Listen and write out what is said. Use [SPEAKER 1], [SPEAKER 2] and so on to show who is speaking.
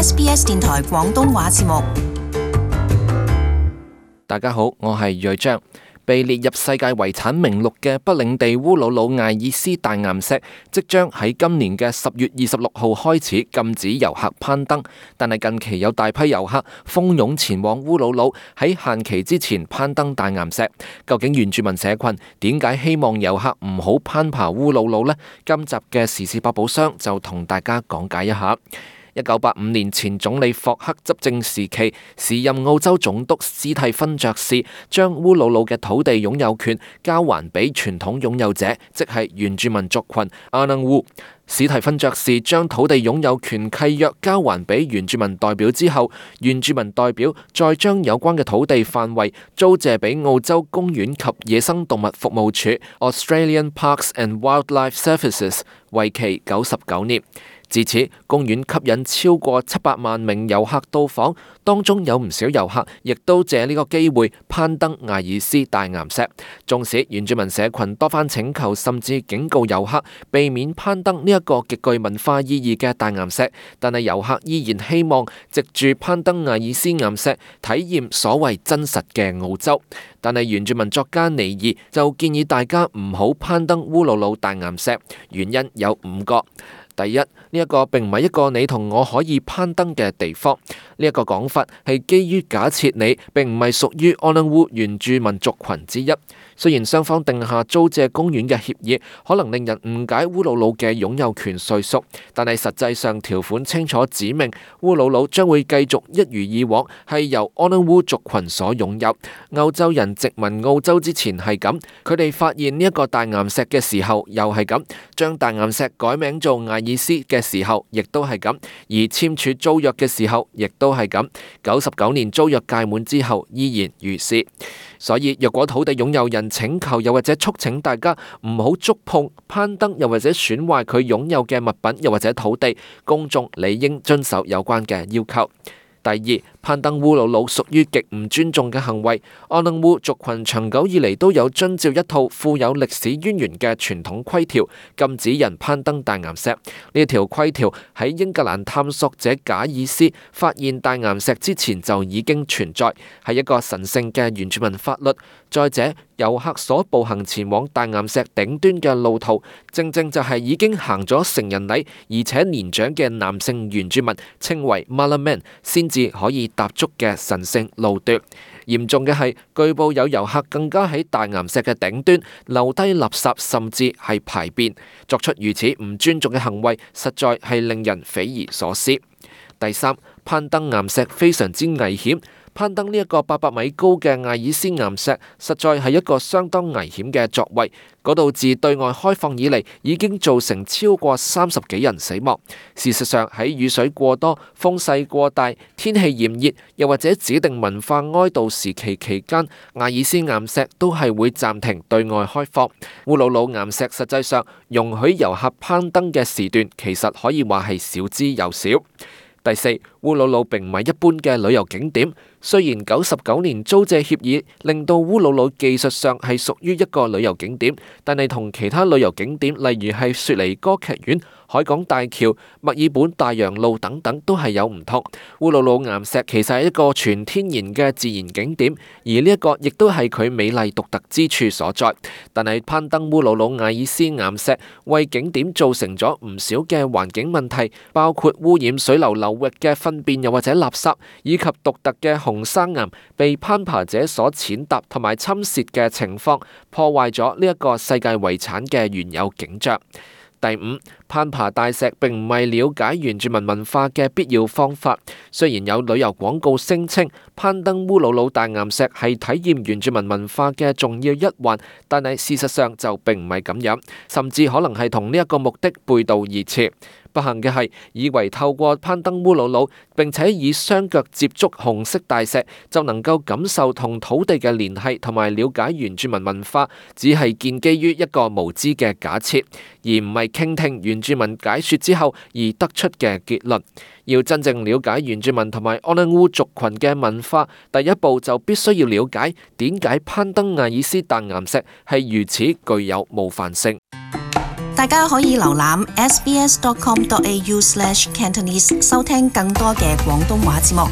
[SPEAKER 1] SBS 電台廣東話節目。
[SPEAKER 2] 大家好，我係睿章。被列入世界遺產名錄嘅北領地烏魯魯艾爾斯大岩石，即將喺今年嘅10月26號開始禁止遊客攀登。但係近期有大批遊客蜂擁前往烏魯魯，喺限期之前攀登大岩石。究竟原住民社群點解希望遊客唔好攀爬烏魯魯呢？今集嘅時事百寶箱就同大家講解一下。1985年前總理霍克執政時期，時任澳洲總督史蒂芬爵士將烏魯魯嘅土地擁有權交還俾傳統擁有者，即係原住民族群阿能烏。史蒂芬爵士將土地擁有權契約交還俾原住民代表之後，原住民代表再將有關嘅土地範圍租借俾澳洲公園及野生動物服務處 （Australian Parks and Wildlife Services）， 為期99年。自此，公園吸引超過700萬名遊客到訪，當中有唔少遊客亦都借呢個機會攀登艾爾斯大岩石。縱使原住民社群多番請求，甚至警告遊客避免攀登呢一個極具文化意義嘅大岩石，但係遊客依然希望藉住攀登艾爾斯岩石體驗所謂真實嘅澳洲。但係原住民作家尼爾就建議大家唔好攀登烏魯魯大岩石，原因有5個。第一，呢一個並唔係一個你同我可以攀登嘅地方。呢一個講法係基於假設你並唔係屬於阿能烏原住民族群之一。雖然雙方定下租借公園嘅協議，可能令人誤解烏魯魯嘅擁有權歲數，但係實際上條款清楚指明，烏魯魯將會繼續一如以往係由阿能烏族群所擁有。歐洲人殖民澳洲之前係咁，佢哋發現呢一個大岩石嘅時候又係咁，將大岩石改名做艾爾斯嘅時候亦都係咁，而簽署租約嘅時候亦都係咁。99年租約屆滿之後依然如是。所以若果土地擁有人請求又或者促請大家唔好觸碰、攀登又或者損壞佢擁有嘅物品又或者土地，公眾理應遵守有關嘅要求。第二，攀登烏魯魯屬於極唔尊重嘅行為。阿能烏族群長久以嚟都有遵照一套富有歷史淵源嘅傳統規條，禁止人攀登大岩石。呢條規條喺英格蘭探索者賈爾斯發現大岩石之前就已經存在，係一個神聖嘅原住民法律。再者，遊客所步行前往大岩石頂端嘅路途，正正就係已經行咗成人禮而且年長嘅男性原住民，稱為 Malaman 先至可以踏足嘅神聖路段。嚴重嘅係，據報有遊客更加喺大岩石嘅頂端留低垃圾，甚至係排便。作出如此唔尊重嘅行為，實在係令人匪夷所思。第三，攀登岩石非常之危險。攀登呢一個800米高嘅艾爾斯岩石，實在係一個相當危險嘅作為。嗰度自對外開放以嚟，已經造成超過30幾人死亡。事實上，喺雨水過多、風勢過大、天氣炎熱，又或者指定文化哀悼時期期間，艾爾斯岩石都係會暫停對外開放。烏魯魯岩石實際上容許遊客攀登嘅時段，其實可以話係少之又少。第四，烏魯魯並唔係一般嘅旅遊景點。雖然99年租借協議令到烏魯魯技術上係屬於一個旅遊景點，但係同其他旅遊景點，例如係雪梨歌劇院、海港大橋、墨爾本大洋路等等，都係有唔同。烏魯魯岩石其實係一個全天然嘅自然景點，而呢一個亦都係佢美麗獨特之處所在。但係攀登烏魯魯艾爾斯岩石為景點造成咗唔少嘅環境問題，包括污染水流流域嘅糞便又或者垃圾，以及獨特嘅紅山岩被攀爬者所踐踏同埋侵蝕嘅情況，破壞咗呢一個世界遺產嘅原有景象。第五，攀爬大石並唔係了解原住民文化嘅必要方法。雖然有旅遊廣告聲稱攀登烏魯魯大岩石係體驗原住民文化嘅重要一環，但係事實上就並唔係咁樣，甚至可能係同呢一個目的背道而馳。不幸嘅係，以為透過攀登烏魯魯並且以雙腳接觸紅色大石就能夠感受同土地嘅聯繫同埋了解原住民文化，只係建基於一個無知嘅假設，而唔係傾聽原住民解說之後而得出嘅結論。要真正了解原住民同埋阿能烏族群嘅文化，第一步就必須要了解點解攀登艾爾斯大岩石係如此具有冒犯性。
[SPEAKER 1] 大家可以瀏覽 sbs.com.au/Cantonese 收聽更多嘅廣東話節目。